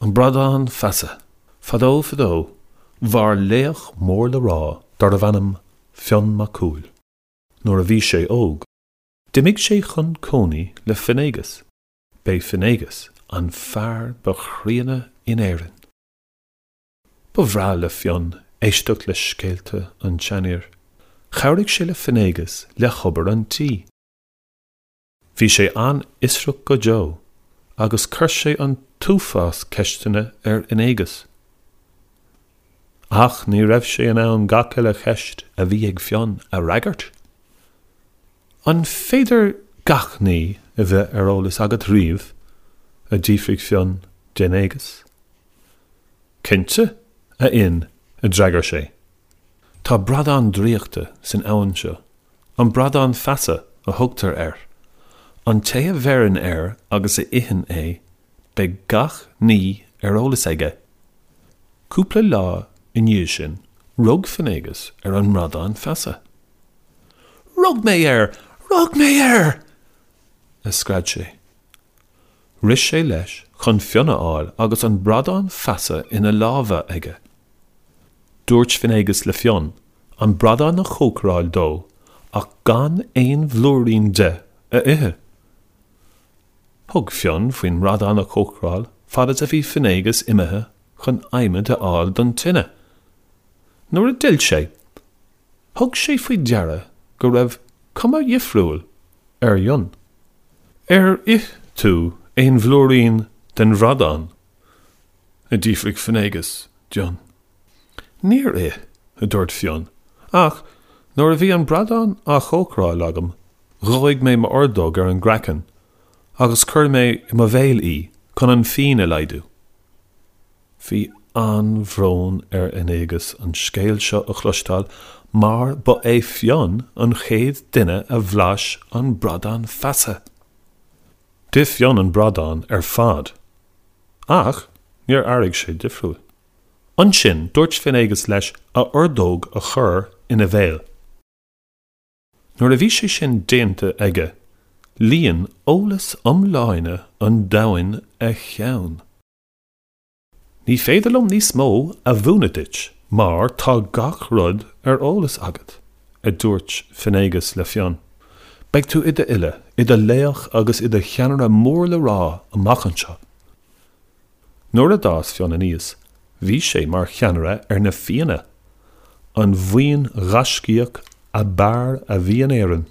An Bradán Feasa. Fadó fadó, mhair laoch mór le rá darbh ainm Fionn Mac Cumhaill. Nuair a bhí sé óg, d'imigh sé chun cónaí le Finnéagas. B'é Finnéagas an fear ba chríonna in Éirinn. Ba bhreá le Fionn éisteacht le scéalta an tseanfhir. Chabhraigh sé le Finnéagas le hobair an tí. Bhí sé an-fhiosrach go deo agus chuir sé an t-uafás ceisteanna ar Fhinnéagas. Ach ní raibh sé in ann gach uile cheist a bhí ag Fionn a fhreagairt. An féidir gach ní a bheith ar eolas agat riamh? a d'fhiafraigh Fionn d'Fhinnéagas. Cinnte, a Fhinn, a d'fhreagair sé. Tá bradán draíochta san abhainn seo. An Bradán Feasa a thugtar air. An té a bheireann air agus a itheann é, beidh gach ní ar eolas aige. Cúpla lá i ndiaidh sin, rug Finnéagas ar an mBradán Feasa. Rug mé air! Rug mé air! a scread sé. Rith sé leis chun Fionn a fháil agus an Bradán Feasa ina lámha aige. Dúirt Finnéagas le Fionn an bradán a chócaráil dó ach gan aon bhlúirín de a ithe. Thug Fionn faoin mbradán a chócaráil fad is a bhí Finnéagas imithe chun adhmad a fháil don tine. Nuair a d'fhill sé, thug sé faoi deara go raibh cuma dhifriúil ar Fhionn. Ar ith tú aon bhlúirín den bhradán? a d'fhiafraigh Finnéagas d'Fhionn. Níor ith, a dúirt Fionn, ach nuair a bhí an bradán á chócaráil agam, dhóigh mé m'ordóg ar an gcraiceann agus chuir mé i mo bhéal í chun an phian a laghdú. Bhí an-bhrón ar Fhinnéagas an scéal seo a chloisteáil mar ba é Fionn an chéad duine a bhlais an bradán feasa. D'ith Fionn an bradán ar fad ach níor airigh sé difriúil. Ansin dúirt Finnéagas leis a ordóg a chur ina bhéal. Nuair a bhí sé sin déanta aige, líon eolas iomláine an domhain a cheann. Ní féidir liom níos mó a mhúineadh duit mar tá gach rud ar eolas agat, a dúirt Finnéagas le Fionn. Beidh tú i d'fhile, i do laoch agus i do cheannaire mór le rá amach anseo. Nuair a d'fhás Fionn aníos, bhí sé mar cheannaire ar na Fianna, an bhuíon ghaiscíoch ab fhearr a bhí in Éirinn.